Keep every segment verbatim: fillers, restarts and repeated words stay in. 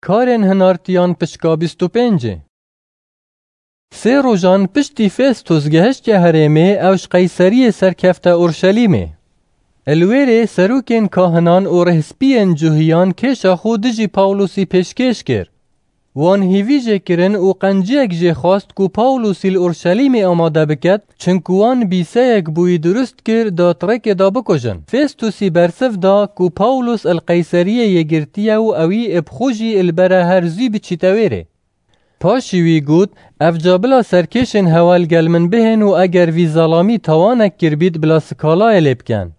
Karên hinartiyan pişka bîst û pêncê. Sê rojan piştî Festus gehiştiye herêmê, ew ji Qeyseriyê serkefte Urşelîmê. Li wêrê serokên kahinan û rêhspiyên cuhiyan kêşa xwe dijî Pawlusî pêşkêş kir. Wan hîvî jê kirin û qenciyek jê xwest ku Pawlusî li Urşelîmê amade biket, çinku wan bîseyek bo wî durust kir da di rêkê de bikujin. Festusî bersiv da ku Pawlus li Qeyseriyê yê girtiye û ewî bi xwe jî li bere her zû biçîte wêrê. Paşî wî got, Evca bila serkêşên hewe li gel min bihên û eger vî zelamî tawanek kiribît, bila sikalayê lê bikin.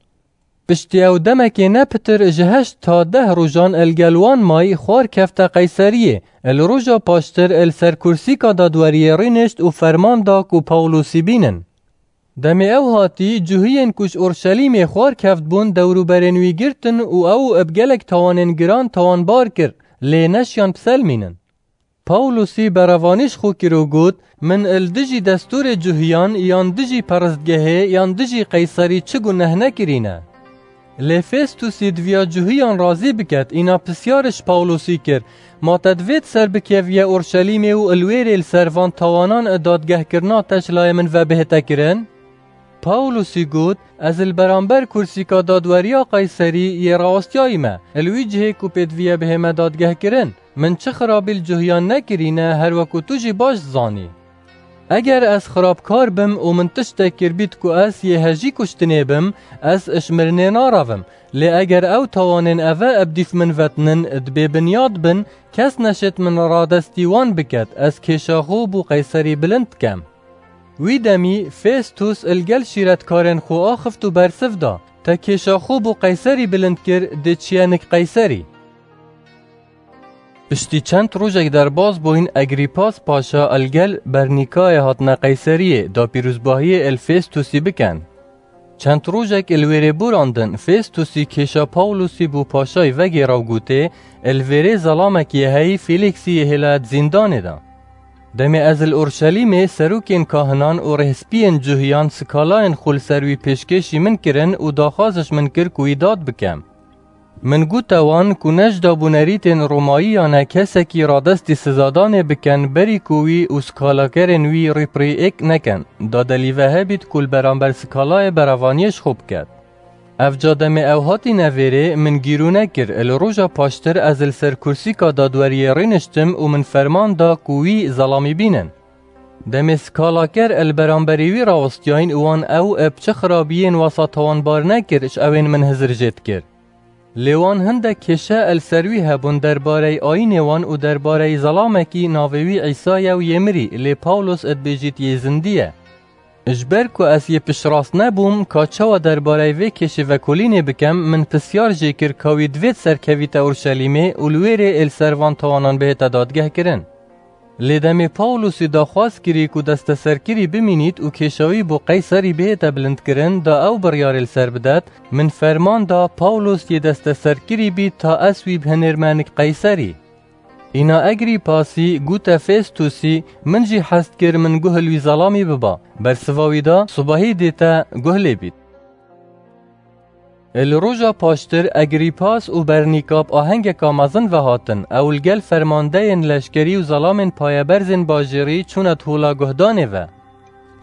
Piştî ew demekê ne pitir ji heşt ta deh rojan li gel wan may, xwar kefte Qeyseriyê. Li roja paştir li ser kursîka dadweriyê rûnişt û ferman da ku Pawlusî bînin. Demê ew hatî, cuhiyên ku ji Orşelîmê xwar keft bûn, dewrûberên wî girtin û ew bi gelek tawanên giran tawanbar kir, lê neşiyan biselmînin. Pawlusî berevanî ji xwe kir û got, Min li dijî destûrê cuhiyan yan dijî peristgehê yan dijî Qeyserî çi guneh nekirîne. Lê Festusî diviya cuhiyan razî biket, îna pisyar ji Pawlusî kir, Ma te divêt ser bikeviye Orşelîmê û li wêrê li ser van tawanan dadgehkirina te ji layê min ve bihête kirin? Pawlusî got, Ez li beramber kursîka dadweriya Qeyserî yê rawestiyayî me. Li wî cihê ku pê diviye bihême dadgehkirin. Min çi xirabî li cuhiyan nekirîne, her weku tu jî baş dizanî. Eger ez xirabkar bim û min tiştek kiribît ku ez yê hejî kuştinê bim, ez ji mirinê narevim. Lê eger ew tawanên eve bi dîf min vetinin, di bêbinyad bin, kes neşêt min radestî wan biket, ez kêşa xwe bo Qeyserî bilind bikem. Wî demî Festus li gel şîretkarên xwe axift û bersiv da, Te kêşa xwe bo Qeyserî bilind kir, dê çiye nik Qeyserî. Piştî çend rojek derbas bûyn, Egrîpas Paşa li gel Bernîkayê hatine Qeyseriyê, da pîrozbahiyê li Festusî bikin. Çend rojek li wêrê borandin, Festusî kêşa Pawlusî bo paşayî vegêra û gotê, Li vêrê zelamekî yê heyî Fêlîksî yê hêlaya di zîndanê de. Demê ez li Orşelîmê serokên kahinan û rêhspiyên cuhiyan sikalayên xwe li ser wî pêşkêşî min kirin û daxwaz ji min kir ku wî dad bikem. Min gote wan ku ne ji dabûnerîtên Romayî ya ne kesekî radestî sizadanê bikin berî ku wî û skalakerên wî rîpirî êk nekin, da delîve hebît ku li beramber skalayê berevaniyê ji xwe biket. Evca demê ew hatîne vêrê, min gîrûne kir, li roja paştir ez li ser kursîka dadweriyê rûniştim û min ferman da ku wî zelamî bînin. Demê skalaker li beramberî wî rawestiyayîn û wan ew bi çi xirabiyên wesa tawanbar nekir, ji ewên min hizir jê dikir. Lê wan hindek kêşe li ser wî hebûn derbarey ayînê wan û derbarey zelamekî navê wî Îsa ye û yê mirî, lê Pawlos dibêjît yê zindî ye. Ji ber ku ez yê piştrast nebûm, ka çawa derbarey vê kêşê vekolînê bikem, min pisyar jê kir ka wî divêt serkevîte Orşelîmê û li wêrê ê li ser van tawanan bihête dadgehkirin. Lê demê Pawlosî daxwaz kirî ku desteserkirî bimînît û kêşa wî bo Qeyserî bihête bilindkirin, da ew biryarê li ser bidet, min ferman da Pawlos yê desteserkirî bît ta ez wî bihinêrme nik Qeyserî. Îna Egrîpasî gote Festusî, Min jî hez dikir min guh li wî zelamî biba. Bersiva wî da, Sibahî dê te guh lê bît. Li roja paştir Egrîpas û Bernîka bi ahengeka mezin ve hatin, ew li gel fermandeyên leşkerî û zelamên payeberzên bajêrî çûne di hola guhdanê ve.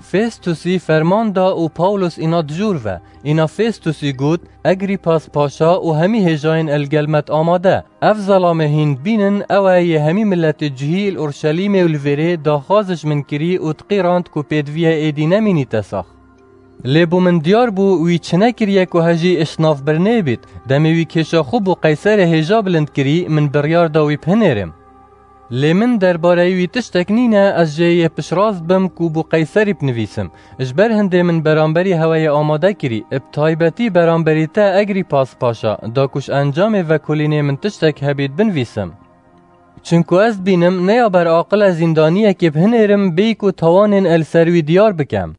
Festusî ferman da û Pawlos îna di jûr ve. Îna Festusî got, Egrîpas Paşa û hemî hêjayên li gel me di amade. Ev zelamê hîn dibînin, ew e yê hemî miletê cihî li Orşelîmê û li vêrê daxwaz ji min kirî û diqîrand ku pêdiviye êdî nemînîte sax. Lê bo min diyar bû, wî çi nekiriye ku hejî ji nav birnê bît. Demê wî kêşa xwe bo Qeyserê hêja bilind kirî, min biryar da wî bihinêrim. Lê min derbareyî wî tiştek nîne, ez jê yê piştrast bim ku bo Qeyserî binivîsim. Ji ber hindê min beramberî hewe yê amade kirî, bi taybetî beramberî te Egrîpas Paşa, da ku ji encamê vekolînê min tiştek hebît binivîsim. Çinku ez dibînim, ne ya ber aqil e zîndaniyekê bihinêrim, bêyî ku tawanên li ser wî diyar bikem.